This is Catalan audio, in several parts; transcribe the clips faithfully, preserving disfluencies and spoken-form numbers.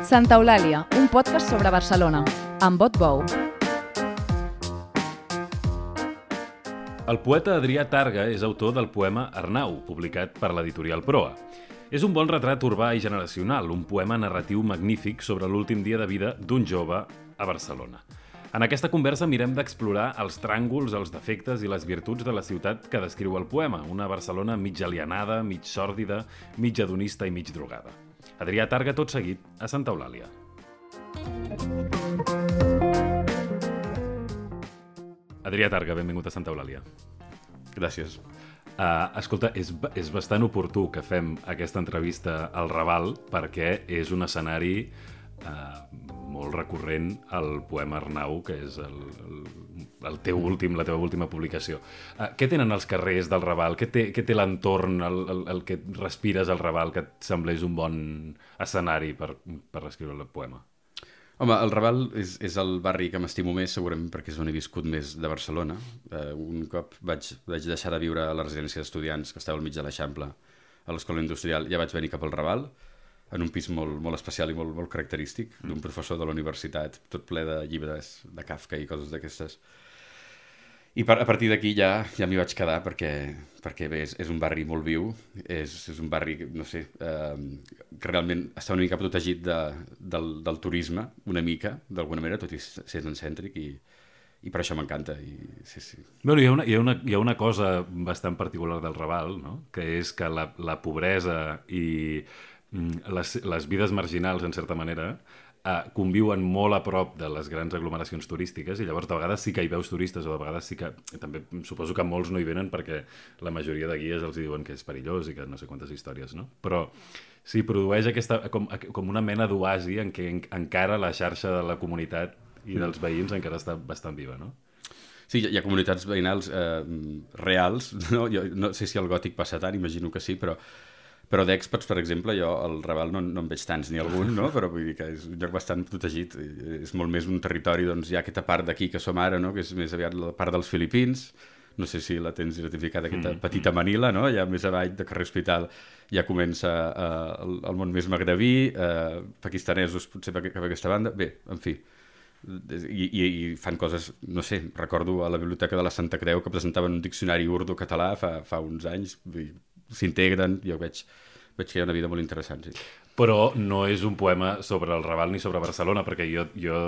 Santa Eulàlia, un podcast sobre Barcelona, amb Bot Bou. El poeta Adrià Targa és autor del poema Arnau, publicat per l'editorial Proa. És un bon retrat urbà i generacional, un poema narratiu magnífic sobre l'últim dia de vida d'un jove a Barcelona. En aquesta conversa mirem d'explorar els tràngols, els defectes i les virtuts de la ciutat que descriu el poema, una Barcelona mig alienada, mig sòrdida, mig hedonista i mig drogada. Adrià Targa, tot seguit, a Santa Eulàlia. Adrià Targa, benvingut a Santa Eulàlia. Gràcies. Uh, escolta, és, és bastant oportú que fem aquesta entrevista al Raval perquè és un escenari uh, molt recurrent al poema Arnau, que és el, el, el teu últim, la teva última publicació. Uh, què tenen els carrers del Raval? Què té, què té l'entorn, el, el, el que respires al Raval, que et semblés un bon escenari per, per escriure el poema? Home, el Raval és, és el barri que m'estimo més, segurament perquè és on he viscut més de Barcelona. Uh, un cop vaig, vaig deixar de viure a la residència d'estudiants, que estava al mig de l'Eixample, a l'Escola Industrial, ja vaig venir cap al Raval, en un pis molt, molt especial i molt, molt característic, d'un professor de la universitat, tot ple de llibres de Kafka i coses d'aquestes. I per, a partir d'aquí ja, ja m'hi vaig quedar perquè, perquè bé, és, és un barri molt viu, és, és un barri, no sé, eh, que realment està una mica protegit de, del, del turisme, una mica, d'alguna manera, tot i ser cèntric, i, i per això m'encanta. I, sí, sí. Bueno, hi ha, una, hi, ha una, hi ha una cosa bastant particular del Raval, no? Que és que la, la pobresa i les, les vides marginals, en certa manera, Uh, conviuen molt a prop de les grans aglomeracions turístiques i llavors de vegades sí que hi veus turistes o de vegades sí que... També suposo que molts no hi venen perquè la majoria de guies els diuen que és perillós i que no sé quantes històries, no? Però sí, produeix aquesta, com, com una mena d'oasi en què en, encara la xarxa de la comunitat i dels veïns encara està bastant viva, no? Sí, hi ha comunitats veïnals eh, reals, no? Jo no sé si el Gòtic passa tant, imagino que sí, però... Però d'experts, per exemple, jo al Raval no, no en veig tants ni algun, no? Però vull dir que és un lloc bastant protegit. És molt més un territori, doncs hi ha aquesta part d'aquí que som ara, no? Que és més aviat la part dels Filipins. No sé si la tens identificada, aquesta mm. petita Manila, no? Ja més avall de carrer Hospital ja comença eh, el, el món més magrebí, eh, pakistanesos potser per, per aquesta banda. Bé, en fi, I, i, i fan coses, no sé, recordo a la Biblioteca de la Santa Creu que presentaven un diccionari urdu-català fa, fa uns anys, s'integren, jo veig, veig que hi ha una vida molt interessant, sí. Però no és un poema sobre el Raval ni sobre Barcelona, perquè jo, jo,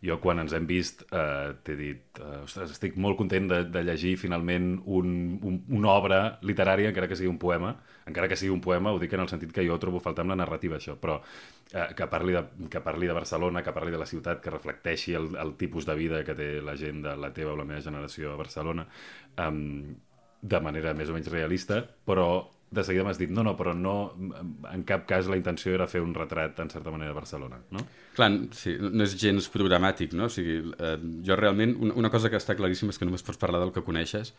jo quan ens hem vist eh, t'he dit, eh, ostres, estic molt content de, de llegir finalment un, un, una obra literària, encara que sigui un poema, encara que sigui un poema, ho dic en el sentit que jo trobo faltar amb la narrativa, això, però eh, que, parli de, que parli de Barcelona, que parli de la ciutat, que reflecteixi el, el tipus de vida que té la gent de la teva o la meva generació a Barcelona, eh, de manera més o menys realista, però de seguida m'has dit, no, no, però no, en cap cas la intenció era fer un retrat, en certa manera, de Barcelona, no? Clar, sí, no és gens programàtic, no? O sigui, eh, jo realment, una, una cosa que està claríssima és que només pots parlar del que coneixes,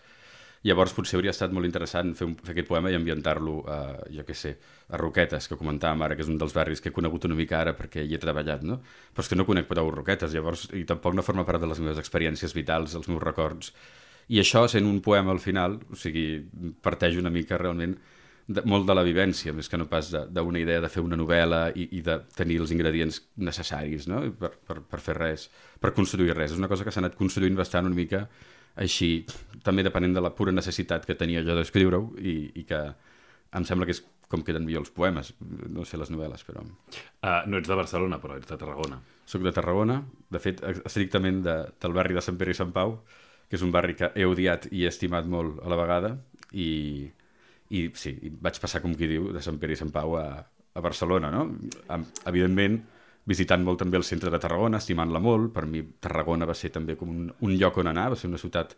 llavors potser hauria estat molt interessant fer, un, fer aquest poema i ambientar-lo a, jo què sé, a Roquetes, que comentàvem ara, que és un dels barris que he conegut una mica ara perquè hi he treballat, no? Però és que no conec prou Roquetes, llavors, i tampoc no forma part de les meves experiències vitals, dels meus records. I això, sent un poema al final, o sigui, parteix una mica realment de, molt de la vivència, més que no pas d'una idea de fer una novel·la i, i de tenir els ingredients necessaris, no? per, per, per fer res, per construir res. És una cosa que s'ha anat construint bastant una mica així, també depenent de la pura necessitat que tenia jo d'escriure-ho i, i que em sembla que és com queden millor els poemes, no sé les novel·les, però... Uh, no ets de Barcelona, però ets de Tarragona. Soc de Tarragona, de fet, estrictament de, del barri de Sant Pere i Sant Pau, que és un barri que he odiat i he estimat molt a la vegada, i, i sí, vaig passar, com qui diu, de Sant Pere i Sant Pau a, a Barcelona, no? Evidentment, visitant molt també el centre de Tarragona, estimant-la molt. Per mi Tarragona va ser també com un, un lloc on anar, va ser una ciutat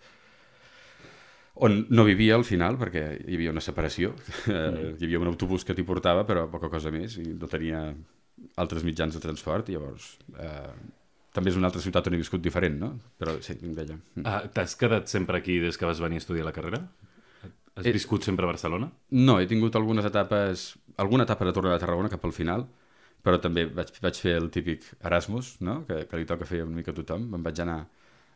on no vivia al final, perquè hi havia una separació, mm. hi havia un autobús que t'hi portava, però poca cosa més, i no tenia altres mitjans de transport, i llavors... Eh, també és una altra ciutat on he viscut diferent, no? Però sí, em deia. Ah, t'has quedat sempre aquí des que vas venir a estudiar la carrera? Has he... viscut sempre a Barcelona? No, he tingut algunes etapes, alguna etapa de tornar a Tarragona cap al final, però també vaig, vaig fer el típic Erasmus, no? que, que li toca fer una mica a tothom. Em vaig anar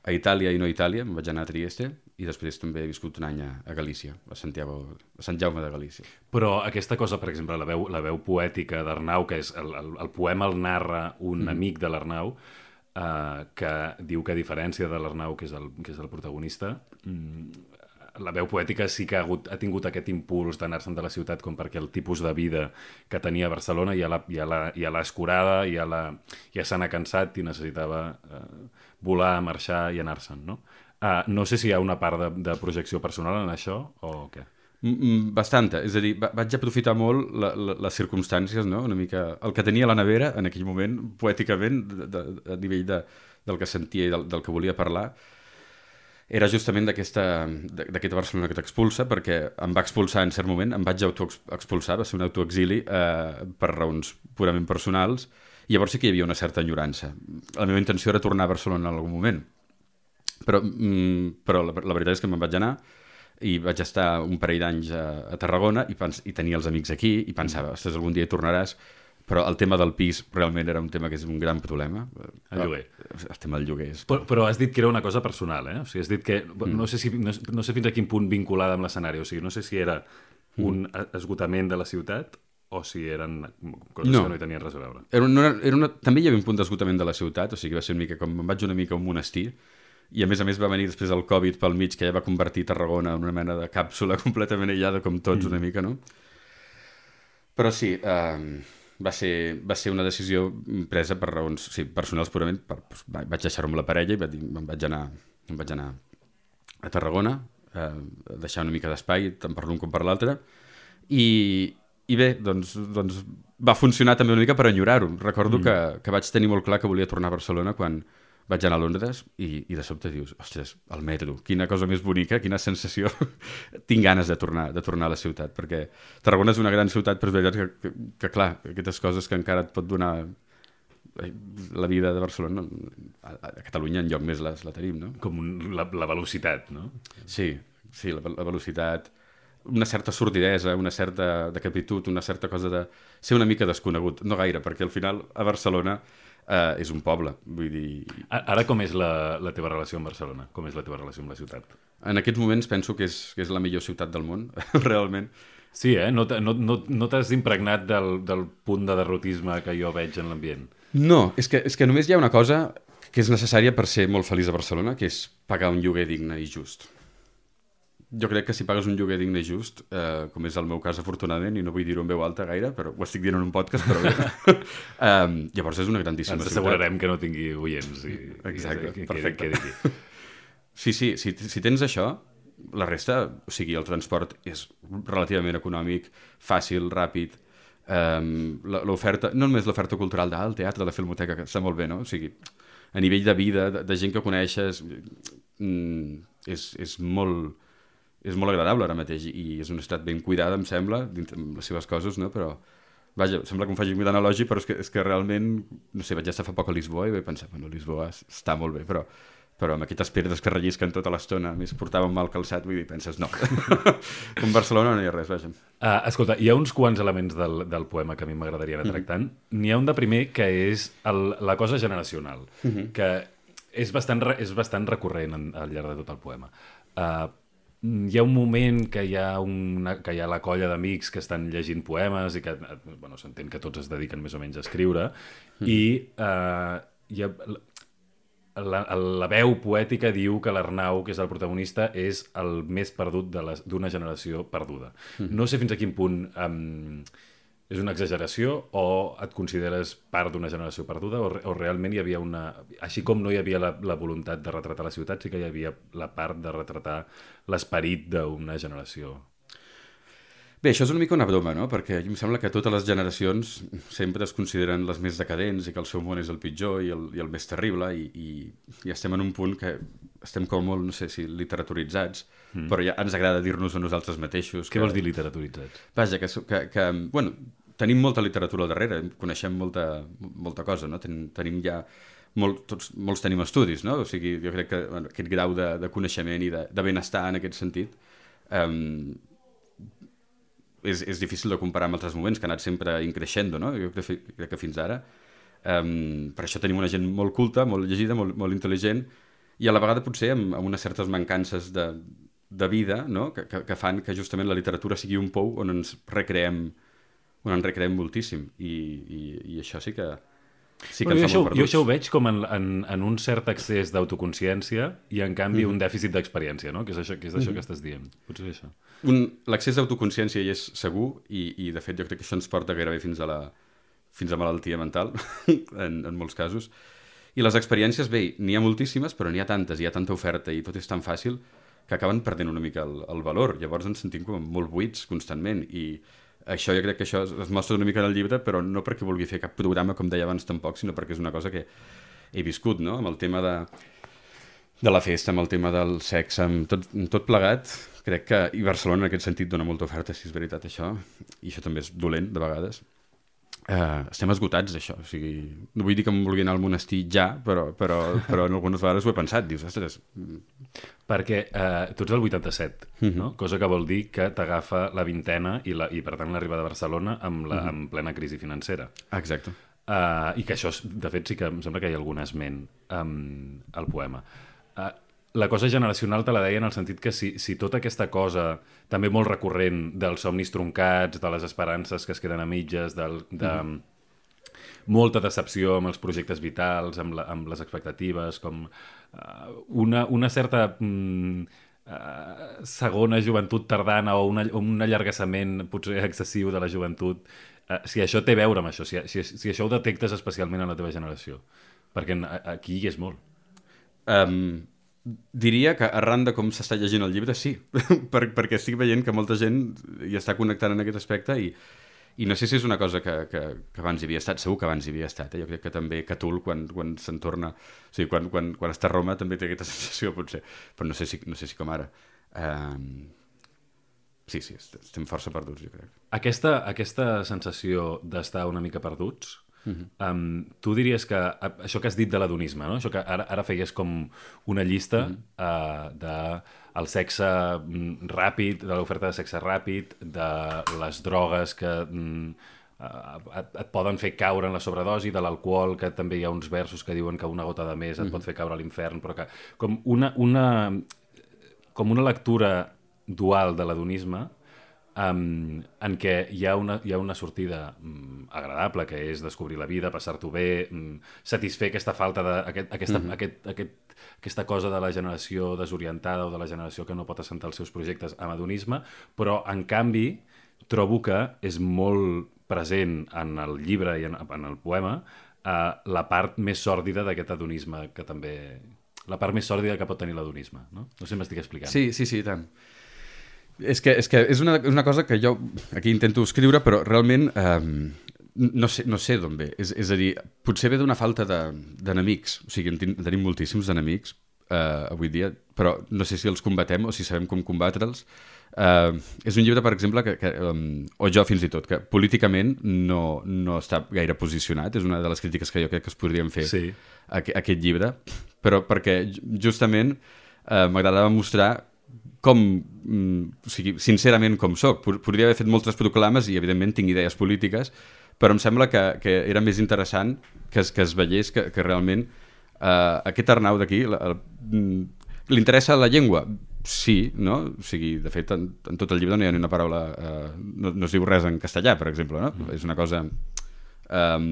a Itàlia i no a Itàlia, em vaig anar a Trieste, i després també he viscut un any a, a Galícia, a Santiago, a Sant Jaume de Galícia. Però aquesta cosa, per exemple, la veu, la veu poètica d'Arnau, que és el, el, el poema el narra un mm. amic de l'Arnau, eh, que diu que a diferència de l'Arnau, que és el, que és el protagonista, mm, la veu poètica sí que ha, hagut, ha tingut aquest impuls d'anar-se'n de la ciutat com perquè el tipus de vida que tenia a Barcelona ja l'ha ja l'ha ja l'ha escurada, ja, la, ja se n'ha cansat i necessitava eh, volar, marxar i anar-se'n, no? Uh, no sé si hi ha una part de, de projecció personal en això o què? Bastanta, és a dir, vaig aprofitar molt la, la, les circumstàncies, no? Una mica el que tenia a la nevera en aquell moment, poèticament, de, de, a nivell de, del que sentia i del, del que volia parlar, era justament d'aquesta Barcelona que t'expulsa, perquè em va expulsar en cert moment, em vaig autoexpulsar, va ser un autoexili eh, per raons purament personals, i llavors sí que hi havia una certa enyorança. La meva intenció era tornar a Barcelona en algun moment, però, mm, però la, la veritat és que me'n vaig anar i vaig estar un parell d'anys a, a Tarragona i, pens, i tenia els amics aquí i pensava, ostres, algun dia hi tornaràs. Però el tema del pis realment era un tema que és un gran problema. El lloguer. El tema del lloguer. És... Però, però has dit que era una cosa personal, eh? O sigui, has dit que... Mm. No sé, si, no, no sé fins a quin punt vinculada amb l'escenari. O sigui, no sé si era un mm. esgotament de la ciutat o si eren coses no. que no hi tenien res a veure. Era una, era una... També hi havia un punt d'esgotament de la ciutat, o sigui, va ser una mica com... Em vaig una mica a un monestir, i a més a més va venir després el Covid pel mig, que ja va convertir Tarragona en una mena de càpsula completament aïllada, com tots mm. una mica, no? Però sí... Eh... Va ser, va ser una decisió presa per raons sí, personals purament. Per, doncs, vaig deixar-ho amb la parella i vaig, me'n vaig anar, em vaig anar a Tarragona, eh, a deixar una mica d'espai, tant per l'un com per l'altre. I, I bé, doncs, doncs va funcionar també una mica per enyorar-ho. Recordo mm. que, que vaig tenir molt clar que volia tornar a Barcelona quan vaig anar a Londres i, i de sobte dius, ostres, el metro, quina cosa més bonica, quina sensació. Tinc ganes de tornar, de tornar a la ciutat, perquè Tarragona és una gran ciutat, però és veritat que, que, que clar, aquestes coses que encara et pot donar la vida de Barcelona, a, a Catalunya enlloc més les, la tenim, no? Com un, la, la velocitat, no? Sí, sí, la, la velocitat, una certa sordidesa, una certa decapitud, una certa cosa de ser una mica desconegut, no gaire, perquè al final a Barcelona Uh, és un poble, vull dir... Ara com és la, la teva relació amb Barcelona? Com és la teva relació amb la ciutat? En aquests moments penso que és, que és la millor ciutat del món, realment. Sí, eh? No, no, no, no t'has impregnat del, del punt de derrotisme que jo veig en l'ambient? No, és que, és que només hi ha una cosa que és necessària per ser molt feliç a Barcelona, que és pagar un lloguer digne i just. Jo crec que si pagues un lloguer digne i just, eh, com és el meu cas afortunadament, i no vull dir-ho en veu alta gaire, però ho estic dient en un podcast, però bé. um, llavors és una grandíssima ciutat. Ens assegurarem que no tingui oients. I, Exacte, i, perfecte. Quedi, quedi sí, sí, si, si tens això, la resta, o sigui, el transport és relativament econòmic, fàcil, ràpid, um, l'oferta, no només l'oferta cultural del teatre, de la filmoteca, que està molt bé, no? O sigui, a nivell de vida, de, de gent que coneixes, mm, és, és molt... és molt agradable ara mateix i és una ciutat ben cuidada, em sembla, dintre les seves coses, no? Però, vaja, sembla que em faci un analogi, però és que, és que realment, no sé, vaig estar fa poc a Lisboa i vaig pensar, bueno, Lisboa està molt bé, però, però amb aquestes pedres que rellisquen tota l'estona, més portàvem mal calçat, vull dir, penses, no. Com Barcelona no hi ha res, vaja. Uh, escolta, hi ha uns quants elements del, del poema que a mi m'agradaria anar tractant. Mm-hmm. N'hi ha un de primer que és el, la cosa generacional, mm-hmm. que és bastant, és bastant recurrent en, al llarg de tot el poema. Uh, Hi ha un moment que hi ha, una, que hi ha la colla d'amics que estan llegint poemes i que, bueno, s'entén que tots es dediquen més o menys a escriure, mm. i eh, hi ha, la, la veu poètica diu que l'Arnau, que és el protagonista, és el més perdut d'una generació perduda. Mm. No sé fins a quin punt um, és una exageració o et consideres part d'una generació perduda o, o realment hi havia una... Així com no hi havia la, la voluntat de retratar la ciutat, sí que hi havia la part de retratar l'esperit d'una generació. Bé, això és una mica una broma, no? Perquè em sembla que totes les generacions sempre es consideren les més decadents i que el seu món és el pitjor i el, i el més terrible i, i, i estem en un punt que estem com molt, no sé si literaturitzats, mm. però ja ens agrada dir-nos a nosaltres mateixos. Què que... vols dir literaturitzats? Vaja, que, que, que bueno, tenim molta literatura al darrere, coneixem molta, molta cosa, no? Ten, tenim ja... Molt, tots, molts tenim estudis, no? O sigui, jo crec que bueno, aquest grau de, de coneixement i de, de benestar en aquest sentit um, és, és difícil de comparar amb altres moments que ha anat sempre increixendo, no? Jo crec, crec que fins ara. Um, per això tenim una gent molt culta, molt llegida, molt, molt intel·ligent i a la vegada potser amb, amb unes certes mancances de, de vida, no? que, que, que fan que justament la literatura sigui un pou on ens recreem, on ens recreem moltíssim, i, i, i això sí que sí que Però ens jo, fa molt això, jo perduts. això ho veig com en, en, en un cert excés d'autoconsciència i en canvi Mm. un dèficit d'experiència, no? Que és això, que, és això que estàs dient. Potser és això. Un, l'accés d'autoconsciència hi és segur, i, i de fet jo crec que això ens porta gairebé fins a la fins a malaltia mental, en, en molts casos. I les experiències, bé, n'hi ha moltíssimes, però n'hi ha tantes, hi ha tanta oferta i tot és tan fàcil que acaben perdent una mica el, el valor. Llavors ens sentim com molt buits constantment, i això jo crec que això es mostra una mica en el llibre, però no perquè vulgui fer cap programa, com deia abans tampoc, sinó perquè és una cosa que he viscut, no? Amb el tema de, de la festa, amb el tema del sexe, amb tot, amb tot plegat, crec que, i Barcelona en aquest sentit dona molta oferta, si és veritat això, i això també és dolent de vegades. Uh, estem esgotats d'això, o sigui, no vull dir que em vulgui anar al monestir ja, però, però, però en algunes vegades ho he pensat, dius, ostres... Perquè eh, tu ets el vuitanta-set, Mhm. no? Cosa que vol dir que t'agafa la vintena i, la, i per tant l'arribada a Barcelona amb, la, Mhm. amb plena crisi financera. Exacte. Uh, I que això, de fet, sí que em sembla que hi ha algun esment um, al poema. Uh, la cosa generacional te la deia en el sentit que si, si tota aquesta cosa, també molt recurrent, dels somnis troncats, de les esperances que es queden a mitges, del, de mm. molta decepció amb els projectes vitals, amb, la, amb les expectatives, com uh, una, una certa... Mm, Uh, segona joventut tardana o, una, o un allargassament potser excessiu de la joventut, uh, si això té a veure amb això, si, si, si això ho detectes especialment en la teva generació, perquè en, aquí hi és molt. Um, diria que arran de com s'està llegint el llibre, sí, per, perquè estic veient que molta gent hi està connectant en aquest aspecte, i, i no sé si és una cosa que, que, que abans hi havia estat, segur que abans hi havia estat, eh? Jo crec que també Catul, quan, quan se'n torna, o sigui, quan, quan, quan està a Roma també té aquesta sensació, potser, però no sé si, no sé si com ara. Um, sí, sí, estem força perduts, jo crec. Aquesta, aquesta sensació d'estar una mica perduts, Uh-huh. um, tu diries que això que has dit de l'adonisme, no? Això que ara, ara feies com una llista uh-huh. uh, de el sexe mm, ràpid, de l'oferta de sexe ràpid, de les drogues que mm, uh, et, et poden fer caure en la sobredosi, de l'alcohol, que també hi ha uns versos que diuen que una gota de més et uh-huh. pot fer caure a l'infern, però que com una, una, com una lectura dual de l'adonisme, Um, en què hi ha una, hi ha una sortida um, agradable, que és descobrir la vida, passar-t'ho bé, um, satisfer aquesta falta de, aquest, aquesta, mm-hmm. aquest, aquest, aquesta cosa de la generació desorientada o de la generació que no pot assentar els seus projectes amb adonisme, però en canvi trobo que és molt present en el llibre i en, en el poema uh, la part més sòrdida d'aquest adonisme, que també... la part més sòrdida que pot tenir l'adonisme, no? No sé si m'estic explicant. Sí, sí, sí, tant. És que, és, que és, una, és una cosa que jo aquí intento escriure, però realment eh, no sé, no sé d'on ve. És, és a dir, potser ve d'una falta d'enemics. O sigui, en ten, tenim moltíssims enemics eh, avui dia, però no sé si els combatem o si sabem com combatre'ls. Eh, és un llibre, per exemple, que, que, um, o jo fins i tot, que políticament no, no està gaire posicionat. És una de les crítiques que jo crec que es podrien fer sí. a, a aquest llibre, però perquè justament eh, m'agradava mostrar com, o sigui, sincerament com soc. Podria haver fet moltes proclames i evidentment tinc idees polítiques, però em sembla que, que era més interessant que es, que es veiés que, que realment eh, aquest Arnau d'aquí li interessa la llengua? Sí, no? O sigui, de fet, en, en tot el llibre no hi ha ni una paraula, eh, no, no es diu res en castellà, per exemple, no? Mm. És una cosa... Eh,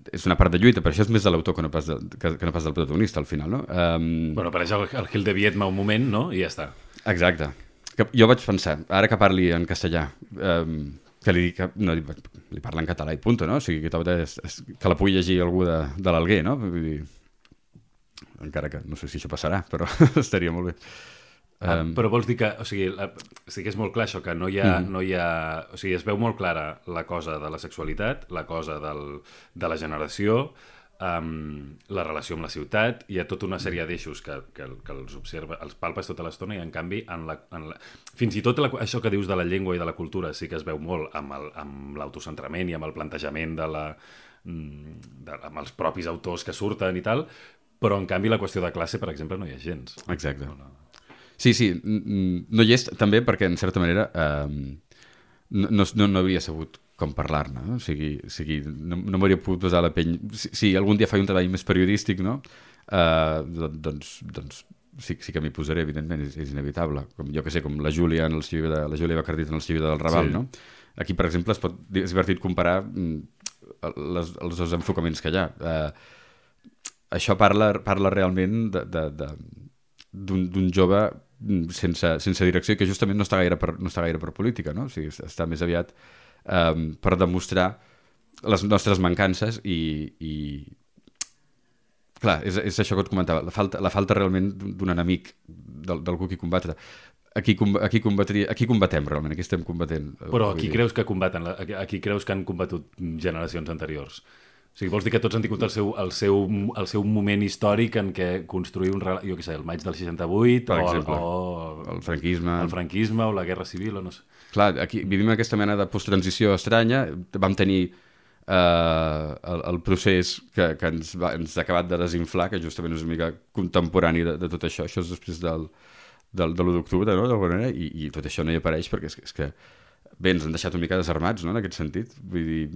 és una part de lluita, però això és més de l'autor que, no pas de, que, que no pas del protagonista, al final, no? Um... Bueno, apareix el, el Gil de Viedma un moment, no? I ja està. Exacte. Que jo vaig pensar, ara que parli en castellà, um, que li dic que no, li parla en català i punto, no? O sigui, que, és, és, que la pugui llegir algú de, de l'Alguer, no? Vull dir, encara que no sé si això passarà, però estaria molt bé. Ah, um... Però vols dir que, o sigui, la, sí que és molt clar això, que no hi ha, mm. no hi ha... O sigui, es veu molt clara la cosa de la sexualitat, la cosa del, de la generació, um, la relació amb la ciutat, hi ha tota una sèrie d'eixos que, que, que els observa, els palpes tota l'estona, i en canvi, en la, en la... fins i tot la, això que dius de la llengua i de la cultura sí que es veu molt amb, el, amb l'autocentrament i amb el plantejament de la, de, amb els propis autors que surten i tal, però en canvi la qüestió de classe, per exemple, no hi ha gens. Exacte. No, no. Sí, sí, no hi és també perquè, en certa manera, eh, no, no, no hauria sabut com parlar-ne, no? O sigui, o sigui no, no m'hauria pogut posar la pell... Si, si algun dia faig un treball més periodístic, no? uh, doncs, doncs sí, sí que m'hi posaré, evidentment, és, és inevitable. Com, jo que sé, com la Júlia en el Xiu de, la Júlia Bacardit en el Xiu del Raval, sí. No? Aquí, per exemple, es pot, és divertit comparar les, els dos enfocaments que hi ha. Uh, això parla, parla realment de, de, de, d'un jove sense, sense direcció i que justament no està gaire per, no està gaire per política, no? O sigui, està més aviat um, per demostrar les nostres mancances i, i clar, és, és això que et comentava, la falta, la falta realment d'un enemic, d'algú qui combatre. Aquí, aquí, combatria, aquí combatem realment, aquí estem combatent. Però aquí creus que combaten, aquí creus que han combatut generacions anteriors? O sigui, vols dir que tots han tingut el seu, el seu, el seu moment històric en què construir un relat, jo què sé, el maig del seixanta-vuit, per o, exemple, o el franquisme. el franquisme o la guerra civil, o no sé. Clar, aquí vivim aquesta mena de posttransició estranya, vam tenir eh, el, el procés que, que ens, va, ens ha acabat de desinflar, que justament és una mica contemporani de, de tot això, això és després del, del, de l'u d'octubre, no? D'alguna manera, i, i tot això no hi apareix perquè és, és que bé, ens han deixat una mica desarmats, no? En aquest sentit, vull dir...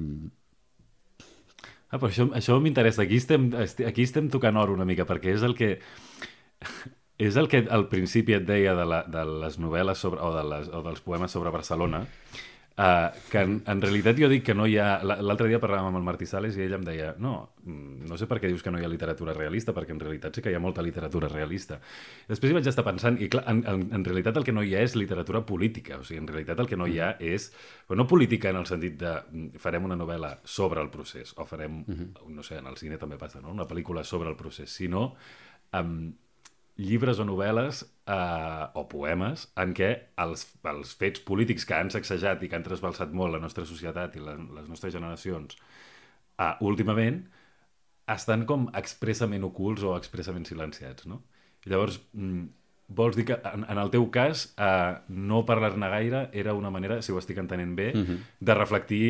Ah, però això, això m'interessa. Aquí estem, aquí estem tocant or una mica, perquè és el que és el que al principi et deia de, la, de les novel·les sobre, o, de les, o dels poemes sobre Barcelona, uh, que en, en realitat jo dic que no hi ha... L'altre dia parlàvem amb el Martí Sales i ell em deia no, no sé per què dius que no hi ha literatura realista, perquè en realitat sí que hi ha molta literatura realista. Després hi vaig estar pensant, i clar, en, en, en realitat el que no hi ha és literatura política, o sigui, en realitat el que no hi ha és... Però no política en el sentit de farem una novel·la sobre el procés, o farem, uh-huh. no sé, en el cine també passa, no? Una pel·lícula sobre el procés, sinó um, llibres o novel·les eh, o poemes en què els, els fets polítics que han sacsejat i que han trasbalsat molt la nostra societat i la, les nostres generacions eh, últimament estan com expressament ocults o expressament silenciats, no? I llavors, mm, vols dir que en, en el teu cas eh, no parlar-ne gaire era una manera, si ho estic entenent bé, uh-huh. de reflectir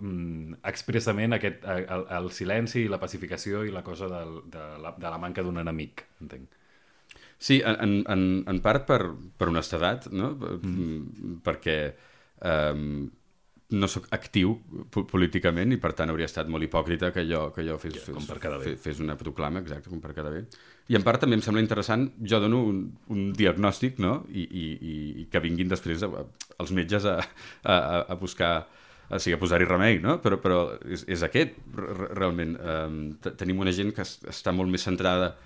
mm, expressament aquest, el, el silenci i la pacificació i la cosa del, de, la, de la manca d'un enemic, entenc. Sí, en, en, en part per, per honestedat, no? Mm. Perquè um, no sóc actiu políticament i per tant hauria estat molt hipòcrita que jo, que jo fes, ja, fes, fes, fes una proclama, exacte, com per quedar bé. I en part també em sembla interessant, jo dono un, un diagnòstic, no? I, i, i que vinguin després a, a, els metges a, a, a buscar, o sigui, a posar-hi remei, no? Però, però és, és aquest, realment. Um, tenim una gent que està molt més centrada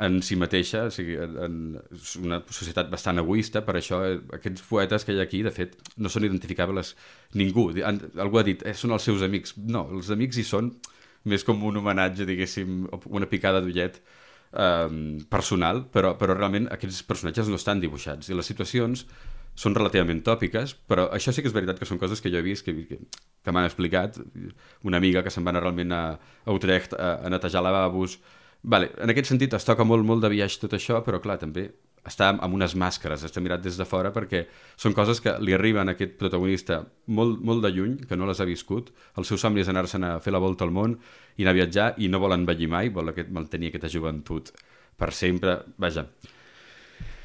en si mateixa, o sigui, en una societat bastant egoista, per això aquests poetes que hi ha aquí, de fet, no són identificables ningú. Algú ha dit, eh, són els seus amics. No, els amics hi són més com un homenatge, diguéssim, una picada d'ullet eh, personal, però, però realment aquests personatges no estan dibuixats i les situacions són relativament tòpiques, però això sí que és veritat que són coses que jo he vist, que, que, que m'han explicat. Una amiga que se'n va anar realment a, a Utrecht a, a netejar lavabos. Vale, en aquest sentit es toca molt, molt de biaix tot això, però clar, també està amb unes màscares, està mirat des de fora perquè són coses que li arriben a aquest protagonista molt, molt de lluny, que no les ha viscut. El seu somni és anar-se'n a fer la volta al món i anar a viatjar i no vol envellir mai, vol aquest, mantenir aquesta joventut per sempre. Vaja,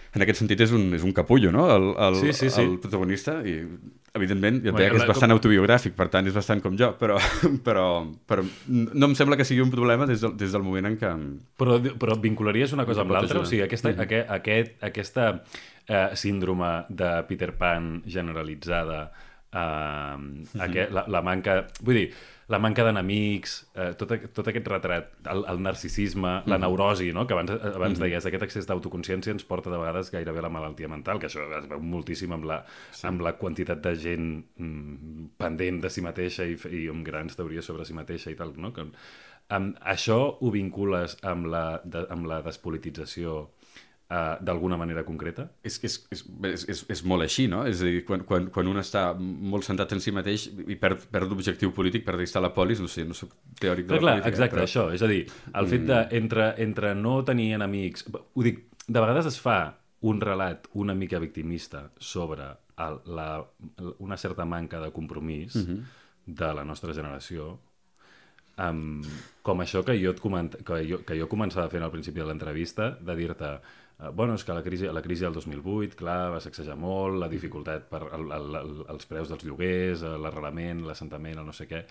en aquest sentit és un, és un capullo, no? El, el, sí, sí, sí. El protagonista, i evidentment jo et deia que és bastant autobiogràfic, per tant és bastant com jo, però, però, però no em sembla que sigui un problema des del, des del moment en què... Però, però vincularies una cosa amb l'altra? O sigui, aquesta, mm-hmm. aquest, aquest, aquesta eh, síndrome de Peter Pan generalitzada, eh, mm-hmm. aquest, la, la manca... Vull dir, la manca d'enemics, eh, tot, tot aquest retrat, el, el narcisisme, mm-hmm. la neurosi, no? Que abans, abans mm-hmm. deies, aquest excés d'autoconsciència ens porta de vegades gairebé a la malaltia mental, que això es veu moltíssim amb la, sí. amb la quantitat de gent mm, pendent de si mateixa i, i amb grans teories sobre si mateixa i tal, no? Que, um, això ho vincules amb la, de, amb la despolitització Uh, d'alguna manera concreta? És, és, és, és, és molt així, no? És a dir, quan, quan, quan un està molt centrat en si mateix i perd, perd l'objectiu polític, perd estar a la polis, no sé, no soc teòric de la clar, política. Exacte, però... això, és a dir, el mm. fet de, entre, entre no tenir enemics... Ho dic, de vegades es fa un relat una mica victimista sobre el, la, una certa manca de compromís mm-hmm. de la nostra generació, um, com això que jo, et coment, que, jo, que jo començava fent al principi de l'entrevista, de dir-te Uh, bueno, és que la crisi, la crisi del dos mil vuit, clar, va sacsejar molt, la dificultat per el, el, el, els preus dels lloguers, l'arrelament, l'assentament, el no sé què,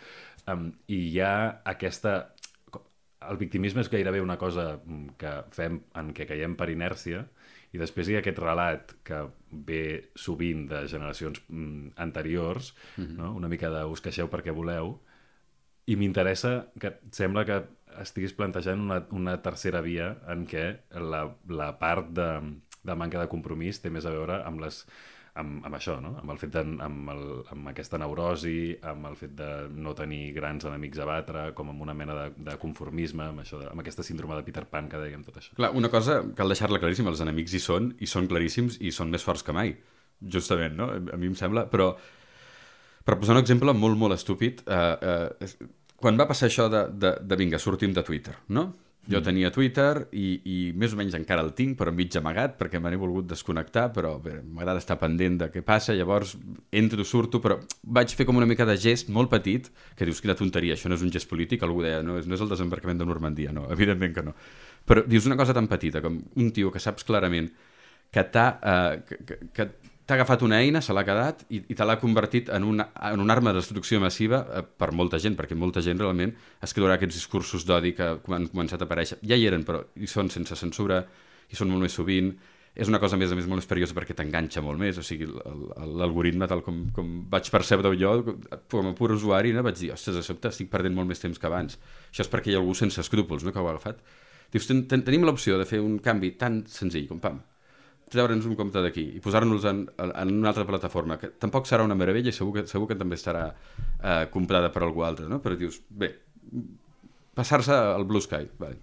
um, i hi ha aquesta... el victimisme és gairebé una cosa que fem, en què caiem per inèrcia, i després hi ha aquest relat que ve sovint de generacions anteriors, mm-hmm. no? Una mica de us queixeu perquè voleu, i m'interessa que sembla que estiguis plantejant una, una tercera via en què la, la part de, de manca de compromís té més a veure amb, les, amb, amb això, no? Amb el fet de, amb, el, amb aquesta neurosi, amb el fet de no tenir grans enemics a batre, com amb una mena de, de conformisme, amb, això de, amb aquesta síndrome de Peter Pan que dèiem, tot això. Clar, una cosa cal deixar-la claríssima, els enemics hi són, i són claríssims, i són més forts que mai, justament, no? A mi em sembla, però per posar un exemple molt, molt estúpid, eh, eh, quan va passar això de, de, de vinga, sortim de Twitter, no? Jo tenia Twitter i, i més o menys encara el tinc, però mig amagat, perquè me n'he volgut desconnectar, però m'agrada estar pendent de què passa, llavors entro, surto, però vaig fer com una mica de gest molt petit, que dius, quina tonteria, això no és un gest polític, algú deia, no és, no és el desembarcament de Normandia, no, evidentment que no. Però dius una cosa tan petita, com un tio que saps clarament que t'ha... Eh, que, que, que t'ha agafat una eina, se l'ha quedat i, i te l'ha convertit en una, en una arma de destrucció massiva eh, per molta gent, perquè molta gent realment es creurà aquests discursos d'odi que han començat a aparèixer. Ja hi eren, però hi són sense censura, hi són molt més sovint. És una cosa, a més a més, molt més perillosa perquè t'enganxa molt més. O sigui, l'algoritme, tal com, com vaig percebre jo, com a pur usuari, no? Vaig dir, ostres, de sobte estic perdent molt més temps que abans. Això és perquè hi ha algú sense escrúpols, no?, que ho ha agafat. Dius, ten, ten, tenim l'opció de fer un canvi tan senzill com, pam, treure'ns un compte d'aquí i posar-nos en, en una altra plataforma, que tampoc serà una meravella i segur que, segur que també estarà eh, comprada per algú altre, no? Però dius, bé, passar-se al Blue Sky, vale.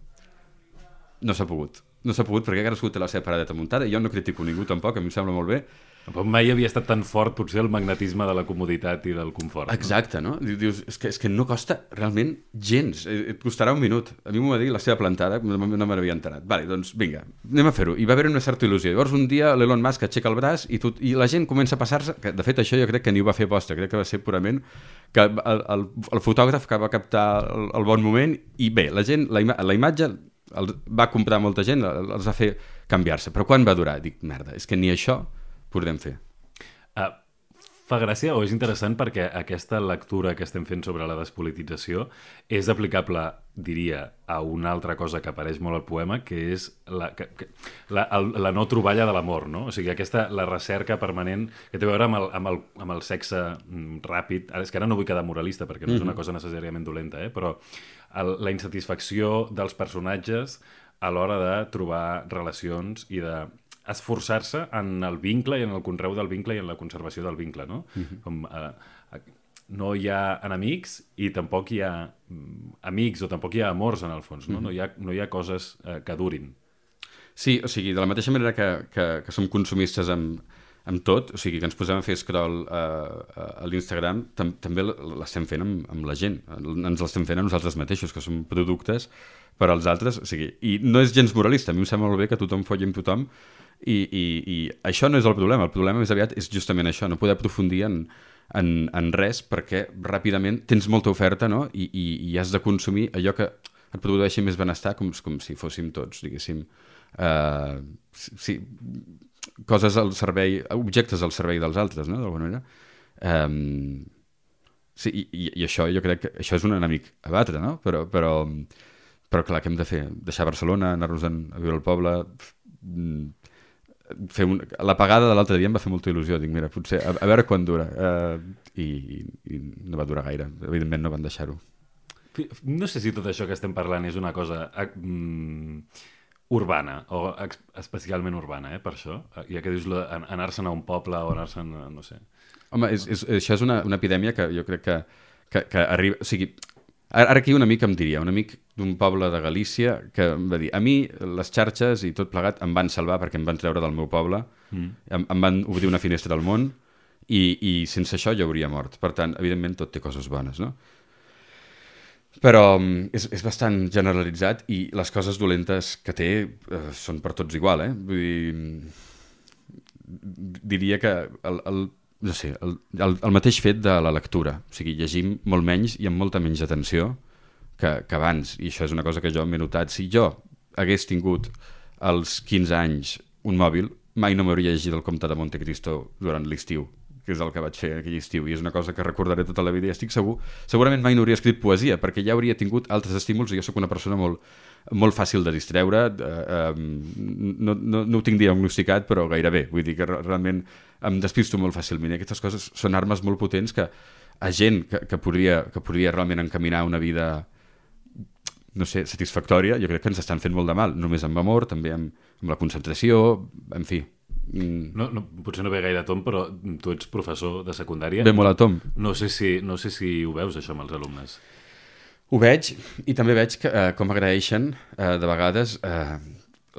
No s'ha pogut. No s'ha pogut perquè cadascú té la seva paradeta muntada i jo no critico ningú tampoc, a mi em sembla molt bé. Però mai havia estat tan fort potser el magnetisme de la comoditat i del confort. Exacte, no? Dius, és que, és que no costa realment gens, et costarà un minut. A mi m'ho va dir la seva plantada, no me n'havia enterat. Vale, doncs vinga, anem a fer-ho. I va haver una certa il·lusió. Llavors un dia l'Elon Musk aixeca el braç i, tot, i la gent comença a passar-se, que de fet això jo crec que ni ho va fer posta, crec que va ser purament que el, el, el fotògraf que va captar el, el bon moment i bé, la gent, la, ima la imatge el, va comprar molta gent, els va fer canviar-se. Però quan va durar? Dic, merda, és que ni això podem fer. Uh, fa gràcia o és interessant perquè aquesta lectura que estem fent sobre la despolitització és aplicable, diria, a una altra cosa que apareix molt al poema, que és la, que, que, la, el, la no troballa de l'amor, no? O sigui, aquesta, la recerca permanent que té a veure amb el, amb el, amb el sexe mm, ràpid. Ara, és que ara no vull quedar moralista perquè no és una cosa necessàriament dolenta, eh? Però el, la insatisfacció dels personatges a l'hora de trobar relacions i de esforçar-se en el vincle i en el conreu del vincle i en la conservació del vincle, no? Uh-huh. Com, eh, no hi ha enemics i tampoc hi ha mm, amics o tampoc hi ha amors en el fons, no? Uh-huh. No hi ha, no hi ha coses eh, que durin. Sí, o sigui, de la mateixa manera que, que, que som consumistes amb, amb tot, o sigui, que ens posem a fer scroll uh, a l'Instagram, tam també l'estem fent amb, amb la gent, ens l'estem fent a nosaltres mateixos, que som productes per als altres, o sigui, i no és gens moralista, a mi em sembla molt bé que tothom folli amb tothom, I, i, i això no és el problema, el problema més aviat és justament això, no poder aprofundir en, en, en res perquè ràpidament tens molta oferta, no? I, i, i has de consumir allò que et produeixi més benestar com, com si fóssim tots, diguéssim, uh, sí, coses al servei, objectes al servei dels altres, no? D'alguna manera. Um, sí, i, i això jo crec que això és un enemic a batre, no? Però, però, però clar, què hem de fer? Deixar Barcelona, anar-nos a viure al poble... Fer un... La pagada de l'altre dia em va fer molta il·lusió, dic, mira, potser, a, a veure quan dura, uh, i, i, i no va durar gaire, evidentment no van deixar-ho. No sé si tot això que estem parlant és una cosa mm, urbana, o especialment urbana, eh, per això, ja que dius anar-se'n a un poble o anar-se'n, no sé. Home, és, és, això és una, una epidèmia que jo crec que, que, que arriba, o sigui, ara aquí un amic em diria, un amic d'un poble de Galícia que em va dir, a mi les xarxes i tot plegat em van salvar perquè em van treure del meu poble, mm. em, em van obrir una finestra al món i, i sense això jo hauria mort. Per tant, evidentment tot té coses bones, no? Però és, és bastant generalitzat i les coses dolentes que té eh, són per tots igual, eh? Vull dir, diria que el, el no sé, el, el, el mateix fet de la lectura, o sigui, llegim molt menys i amb molta menys atenció que, que abans, i això és una cosa que jo m'he notat. Si jo hagués tingut als quinze anys un mòbil, mai no m'hauria llegit el Comte de Monte Cristo durant l'estiu, que és el que vaig fer aquell estiu, i és una cosa que recordaré tota la vida, i estic segur, segurament mai no hauria escrit poesia, perquè ja hauria tingut altres estímuls, i jo sóc una persona molt, molt fàcil de distreure, eh, eh, no, no, no ho tinc diagnosticat, però gairebé, vull dir que realment em despisto molt fàcilment, i aquestes coses són armes molt potents que a gent que, que, podria, que podria realment encaminar una vida, no sé, satisfactòria, jo crec que ens estan fent molt de mal, només amb amor, també amb, amb la concentració, en fi. Mm. No, no, potser no ve gaire a tom, però tu ets professor de secundària. Ve molt a tom. No sé si, no sé si ho veus, això, amb els alumnes. Ho veig, i també veig que, eh, com agraeixen eh, de vegades eh,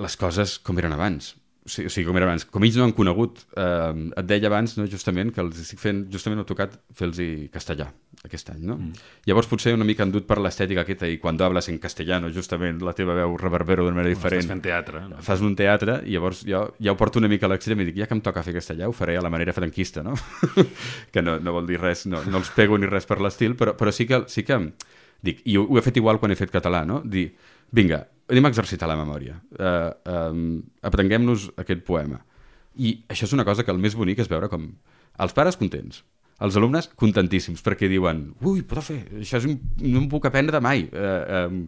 les coses com eren abans. O sigui, o sigui, com era abans. Com ells no han conegut, eh, et deia abans, no, justament, que els estic fent, justament m'ha tocat fer-los castellà aquest any, no? Mm. Llavors potser una mica han dut per l'estètica aquesta, i quan hablas en castellano, justament, la teva veu reverbera d'una manera diferent. Estàs fent teatre. No? Fas un teatre, i llavors jo ja ho porto una mica a l'extrem i dic, ja que em toca fer castellà, ho faré a la manera franquista, no? Que no, no vol dir res, no, no els pego ni res per l'estil, però, però sí que, sí que dic, i ho, ho he fet igual quan he fet català, no? Dir, vinga, anem a exercitar la memòria, uh, um, aprenguem-nos aquest poema. I això és una cosa que el més bonic és veure com els pares contents, els alumnes contentíssims, perquè diuen, ui, profe, això és un, no em puc aprendre mai, uh, um,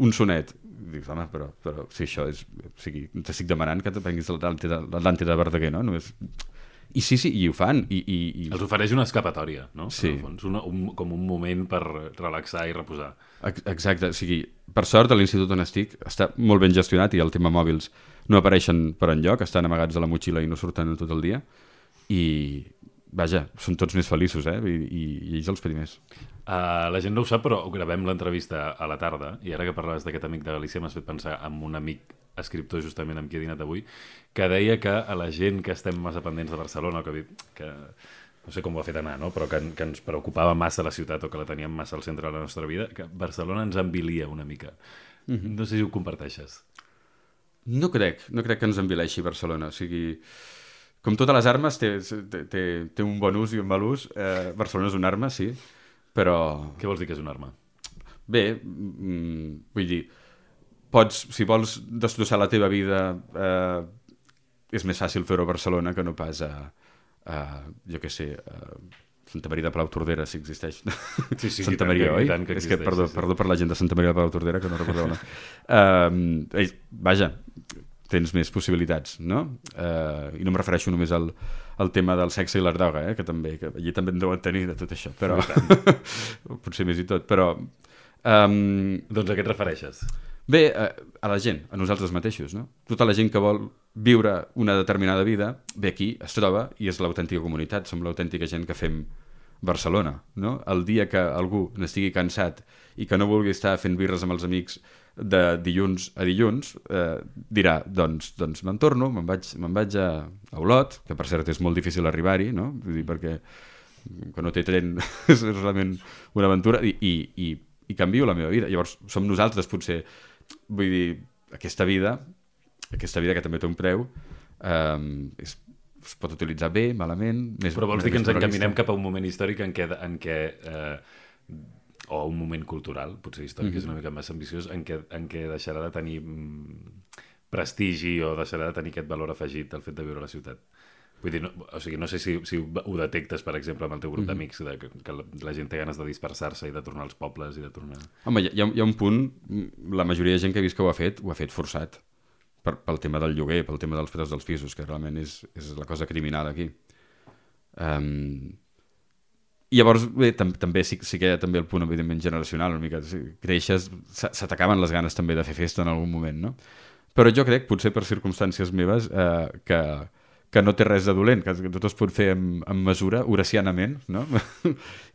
un sonet. Dius, home, però, però si això és... O sigui, t'estic demanant que t'aprenguis l'Atlàntida de Verdaguer, no? Només... I sí, sí, i ho fan. I, i, i... Els ofereix una escapatòria, no? Sí. En el fons, una, un, com un moment per relaxar i reposar. Exacte, o sigui, per sort a l'institut on estic està molt ben gestionat i el tema mòbils no apareixen per enlloc, estan amagats a la motxilla i no surten tot el dia, i vaja, són tots més feliços, eh? I, i, i ells els primers. Uh, la gent no ho sap, però gravem l'entrevista a la tarda, i ara que parlaves d'aquest amic de Galícia m'has fet pensar en un amic escriptor justament amb qui he dinat avui, que deia que a la gent que estem massa pendents de Barcelona, que, que no sé com ho ha fet anar, no? Però que, que ens preocupava massa la ciutat o que la teníem massa al centre de la nostra vida, que Barcelona ens envilia una mica. Mm-hmm. No sé si ho comparteixes. No crec, no crec que ens envileixi Barcelona, o sigui... Com totes les armes, té, té, té un bon ús i un mal ús. Eh, Barcelona és una arma, sí, però... Què vols dir que és una arma? Bé, mm, vull dir, pots, si vols destrossar la teva vida, eh, és més fàcil fer-ho a Barcelona que no pas a, a jo què sé, a Santa Maria de Palautordera, si existeix. Sí, sí, Santa tant, Maria, que, oi? tant que és que, perdó, sí, sí. perdó per la gent de Santa Maria de Palautordera, que no recordeu no. uh, vaja, tens més possibilitats, no? Uh, I no em refereixo només al, al tema del sexe i la droga, eh? Que també, que allí també en deuen tenir de tot això, però potser més i tot, però... Um... Doncs a què et refereixes? Bé, uh, a la gent, a nosaltres mateixos, no? Tota la gent que vol viure una determinada vida, ve aquí, es troba, i és l'autèntica comunitat, som l'autèntica gent que fem Barcelona, no? El dia que algú n'estigui cansat i que no vulgui estar fent birres amb els amics de dilluns a dilluns, eh, dirà, doncs, doncs me'n torno, me'n vaig, me'n vaig a, a Olot, que per cert és molt difícil arribar-hi, no? Vull dir, perquè que no té tren és realment una aventura, i, i, i, i canvio la meva vida. Llavors, som nosaltres, potser, vull dir, aquesta vida, aquesta vida que també té un preu, eh, és, es pot utilitzar bé, malament... Més, Però vols dir que ens encaminem cap a un moment històric en què... En què eh, o un moment cultural, potser històric, mm-hmm. és una mica més ambiciós, en què, en què deixarà de tenir mm, prestigi o deixarà de tenir aquest valor afegit el fet de viure a la ciutat. Vull dir, no, o sigui, no sé si, si ho detectes, per exemple, amb el teu grup mm-hmm. d'amics, de, que, que la, la gent té ganes de dispersar-se i de tornar als pobles i de tornar... Home, hi ha, hi ha un punt, la majoria de gent que he vist que ho ha fet, ho ha fet forçat, per, pel tema del lloguer, pel tema dels preus dels pisos, que realment és, és la cosa criminal aquí. Um, I llavors, bé, tam també sí, sí que hi ha també el punt, evidentment, generacional, una mica, si creixes, se t'acaben les ganes també de fer festa en algun moment, no? Però jo crec, potser per circumstàncies meves, eh, que, que no té res de dolent, que tot es pot fer amb, amb mesura, horacianament, no?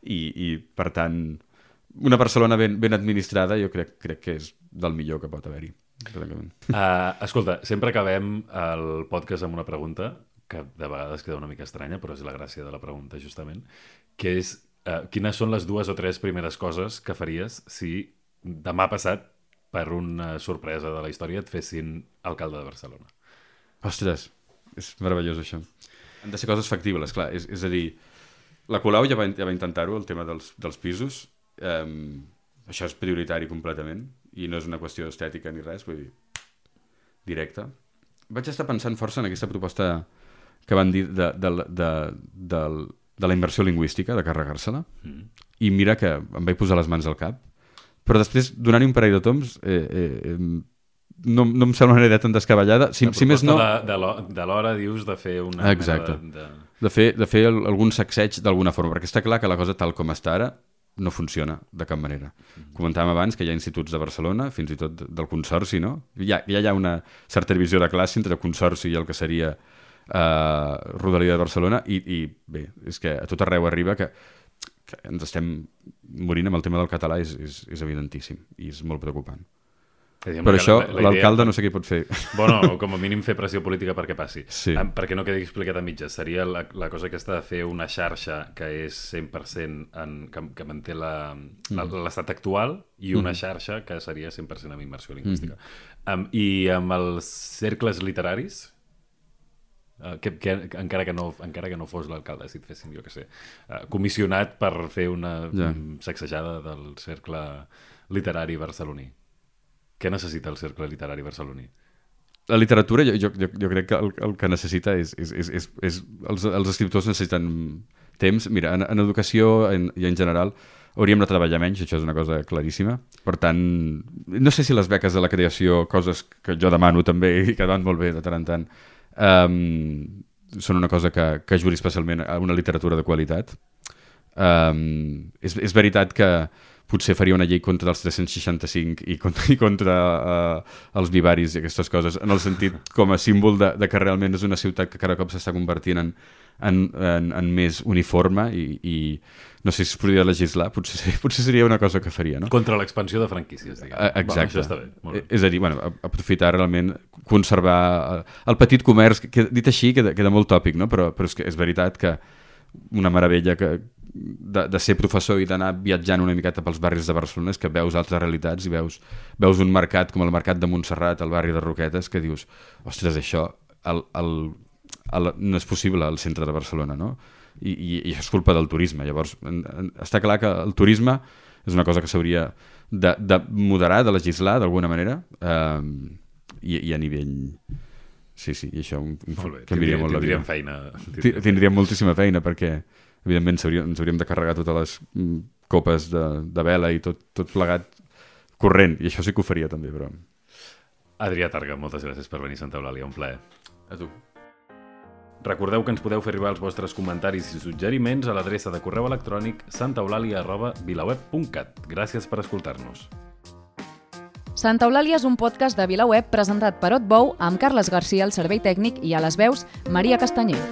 I, I, per tant, una Barcelona ben, ben administrada jo crec, crec que és del millor que pot haver-hi. Uh, escolta, sempre acabem el podcast amb una pregunta que de vegades queda una mica estranya, però és la gràcia de la pregunta, justament, que és, uh, quines són les dues o tres primeres coses que faries si demà passat, per una sorpresa de la història, et fessin alcalde de Barcelona? Ostres, és meravellós això. Han de ser coses factibles, clar. És, és a dir, la Colau ja va, ja va intentar-ho, el tema dels, dels pisos. Um, això és prioritari completament, i no és una qüestió estètica ni res, vull dir, directe. Vaig estar pensant força en aquesta proposta que van dir de, de, de, del de la immersió lingüística, de carregar-se-la, Mm. i mira que em vaig posar les mans al cap, però després, donant-hi un parell de toms, eh, eh, no, no em sembla una idea tan descabellada. Si, si més no... De, de l'ho- de l'hora, dius, de fer una... Exacte. mena De, de... De fer, de fer el- algun sacseig d'alguna forma, perquè està clar que la cosa tal com està ara no funciona de cap manera. Comentàvem abans que hi ha instituts de Barcelona, fins i tot del Consorci, no? Ja, ja hi ha una certa divisió de classe entre el Consorci i el que seria eh, Rodalia de Barcelona, i, i bé, és que a tot arreu arriba que, que ens estem morint amb el tema del català, és, és, és evidentíssim, i és molt preocupant. Per això, l'alcalde no sé què pot fer. Bueno, o com a mínim fer pressió política perquè passi. Sí. Um, perquè no quedi explicat a mitges. Seria la, la cosa aquesta de fer una xarxa que és cent per cent en, que, que manté la- la- l'estat actual i una xarxa que seria cent per cent amb immersió lingüística. Um, I amb els cercles literaris, uh, que, que, encara, que no, encara que no fos l'alcalde, si et fessin, jo què sé, uh, comissionat per fer una Ja. um, sacsejada del cercle literari barceloní. Què necessita el cercle literari barceloní? La literatura, jo, jo, jo, jo crec que el, el que necessita és... és, és, és, és els, els escriptors necessiten temps. Mira, en, en educació en, i en general hauríem de treballar menys, això és una cosa claríssima. Per tant, no sé si les beques de la creació, coses que jo demano també i que van molt bé de tant en tant, um, són una cosa que, que ajudi especialment a una literatura de qualitat. Um, és, és veritat que potser faria una llei contra els tres-cents seixanta-cinc i contra, i contra uh, els vivaris i aquestes coses, en el sentit com a símbol de, de que realment és una ciutat que cada cop s'està convertint en, en, en, en més uniforme i, i no sé si es podria legislar, potser, ser- potser seria una cosa que faria, no? Contra l'expansió de franquícies, diguem. Eh, Exacte. Bueno, això està bé. Molt bé. Eh, És a dir, bueno, a- aprofitar realment, conservar el, el petit comerç, que, que dit així queda, queda molt tòpic, no? Però, però és, que és veritat que una meravella que, de, de ser professor i d'anar viatjant una miqueta pels barris de Barcelona és que veus altres realitats i veus, veus un mercat com el mercat de Montserrat, al barri de Roquetes, que dius, ostres, això el, el, el, no és possible al centre de Barcelona, no? I, i, i això és culpa del turisme. Llavors, en, en, està clar que el turisme és una cosa que s'hauria de, de moderar, de legislar d'alguna manera, eh, i, i a nivell... Sí, sí, i això un, un, Molt bé. canviaria Tindríem, molt la vida. tindríem feina. Ti- Tindríem moltíssima feina perquè, evidentment, s'hauria- ens hauríem de carregar totes les mm, copes de, de vela i tot, tot plegat corrent, i això sí que ho faria també, però... Adrià Targa, moltes gràcies per venir a Santa Eulàlia, un plaer. A tu. Recordeu que ens podeu fer arribar els vostres comentaris i suggeriments a l'adreça de correu electrònic santaeulàlia arroba vilaweb punt cat. Gràcies per escoltar-nos. Santa Eulàlia és un podcast de VilaWeb presentat per Otbou amb Carles Garcia al servei tècnic i a les veus Maria Castanyer.